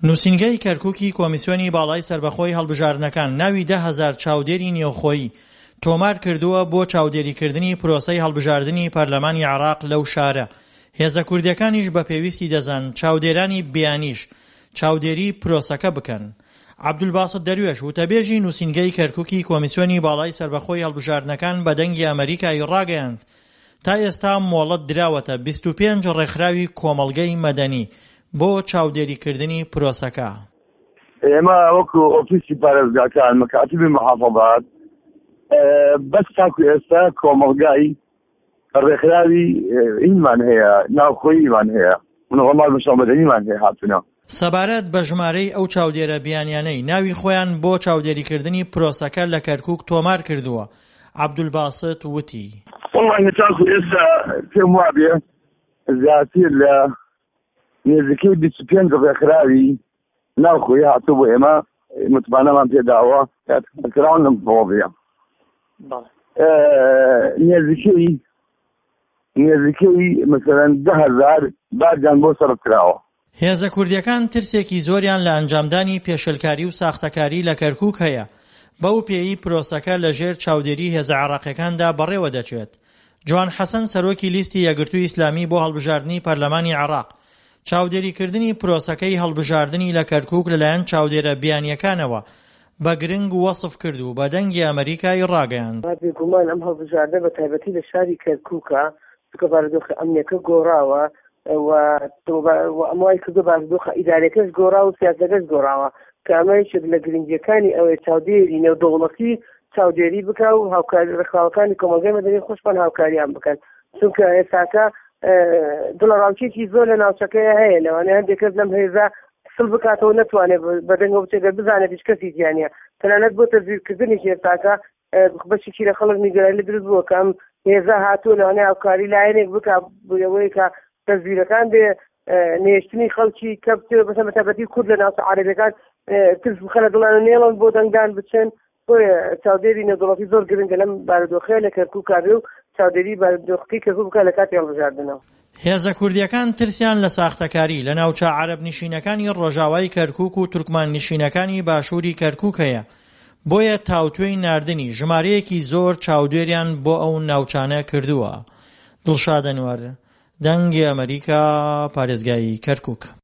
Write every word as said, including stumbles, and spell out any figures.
نووسینگەی کەرکووکی کۆمیسیۆنی باڵای سەربەخۆی هەڵبژاردنەکان ناوی دە هەزار چاودێری نێوخۆیی تۆمار کردووە بۆ چاودێریکردنی پرۆسەی هەڵبژاردنی پەرلەمانی عێراق لەو شارە. هێزە کوردیەکانیش بە پێویستی دەزان چاودێرانی بیانیش چاودێری پرۆسەکە بکەن. عەبدولباسط دەروێش وتەبێژی نووسینگەی کەرکووکی کۆمیسیۆنی باڵای سەربەخۆی هەڵبژاردنەکان بە دەنگی ئەمەریکای ڕاگەیاند تا ئێستا مۆڵەت دراوەتە بیست و پێنج ڕێکخراوی کۆمەڵگەی مەدەنی بۆ چاودێریکردنی پرۆسەکە. ئێمە وەکو ئۆفیسی پارێزگاکان مەکاتبی محافظات بەس تاکو ئێستا کۆمەڵگای ڕێکخراوی ئینمان هەیە، ناوخۆییمان هەیە، منەظەمات مجتمع مەدەنیمان هەیە هاتوونە. سەبارەت بە ژمارەی ئەو چاودێرە بیانیانەی ناوی خۆیان بۆ چاودێریکردنی پرۆسەکە لە کەرکووک تۆمار کردووە، عەبدولباسط وتی. وەڵڵاهی تاکو ئێستا پێم وابێ زیاتر لە نزیکەی بیست و پێنج ڕێکخراوی ناوخۆیی هاتوو بۆ ئێمە متمانەمان پێداوە کراون لەم مەوزوعە. نزیکەی نزیکەی مثلەن دە هەزار باجیان بۆ سەرف کراوە. هێزە کوردیەکان ترسێکی زۆریان لە ئەنجامدانی پێشێلکاری و ساختەکاری لە کەرکووک هەیە، بەو پێیەی پرۆسەکە لە ژێر چاودێری هێزە عێراقیەکاندا بەڕێوە دەچێت. جوان حەسەن سەرۆکی لیستی یەکگرتووی ئیسلامی بۆ هەڵبژاردنی پەرلەمانی عێراق چاودێریکردنی پرۆسەکەی هەڵبژاردنی لە کەرکووک لەلایەن چاودێرە بیانیەکانەوە بە گرنگ وەسف کرد و بە دەنگی ئەمەریکای ڕاگەیاند. بێگومان ئەم هەڵبژاردنە بە تایبەتی لە شاری کەرکووکە، چونکە بارودۆخە ئەمنیەکە گۆڕاوە و ئەم وای کردو بارودۆخە ئیدارەکەش گۆڕاوە و سیاسەکەش گۆڕاوە، کە ئەمە یەکێک لە گرنگیەکانی ئەوەیە چاودێری نێودەوڵەتی چاودێری بکا و هاوکاری ڕێکخراوەکانی کۆمەڵگەی مەدەنی خۆشمان هاوکاریان بکەن، چونکە ئێستاکە دڵەڕاوکێکی زۆر لە ناوچەکەیە هەیە، لەوانەیە هەندێک کەس لەم هێزە سڵ بکاتەوە نەتوانێت بەدەنگەوە بچێت گەر بزانێت هیچ کەسی تیا نییە، تەنانەت بۆ تەزویرکردنیش ئێستاکە بەشێکی لە خەڵک نیگەرانی دروست بووە کە ئەم هێزە هاتووە لەوانەیە هاوکاری لایەنێک بکا بۆ ئەوەی کە تەزویرەکان بێ نێشتنی خەڵکی کە بچێت بە تایبەتی کورد لە ناوچە عەرەبیەکان ترس بخەنە دڵیان و نێڵن بۆ دەنگدان بچن. بۆیە چاودێری نێودەوڵەتی زۆر گرنگە لەم بارودۆخەیە لە کەرکووک بێ و چاودێری بارودۆخەکەی کەرکووک بکات لە کاتی هەڵبژاردنەوە. هێزە کوردیەکان ترسیان لە ساختەکاری لە ناوچە عەرەب نشینەکانی ڕۆژاوای کەرکووک و تورکمان نشینەکانی باشووری کەرکووک هەیە، بۆیە تاوتوێی ناردنی ژمارەیەکی زۆر چاودێریان بۆ ئەو ناوچانە کردووە. دڵشاد ئەنوەر، دەنگی ئەمەریکا، پارێزگای کەرکووک.